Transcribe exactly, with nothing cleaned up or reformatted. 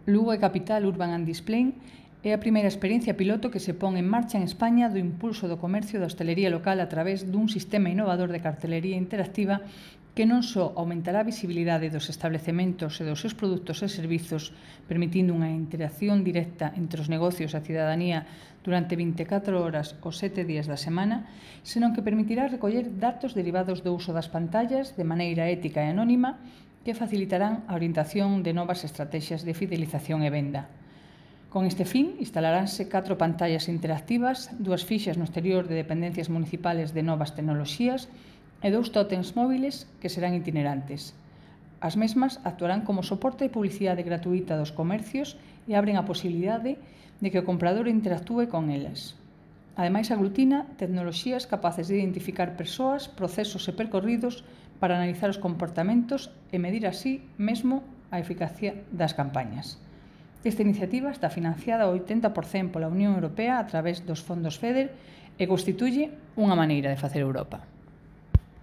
Lugo é Capital Urban and Display é a primeira experiencia piloto que se pon en marcha en España do impulso do comercio da hostelería local a través dun sistema innovador de cartelería interactiva que non só aumentará a visibilidade dos establecementos e dos seus produtos e servizos, permitindo unha interacción directa entre os negocios e a cidadanía durante vinte e catro horas os sete días da semana, senón que permitirá recoller datos derivados do uso das pantallas de maneira ética e anónima que facilitarán a orientación de novas estrategias de fidelización e venda. Con este fin, instalaránse catro pantallas interactivas, dúas fixas no exterior de dependencias municipales de novas tecnoloxías e dous tótems móviles que serán itinerantes. As mesmas actuarán como soporte de publicidade gratuita dos comercios e abren a posibilidade de que o comprador interactúe con elas. Ademais, aglutina tecnoloxías capaces de identificar persoas, procesos e percorridos para analizar os comportamentos e medir así mesmo a eficacia das campañas. Esta iniciativa está financiada ao oitenta por cento pola Unión Europea a través dos fondos FEDER e constituye unha maneira de facer Europa.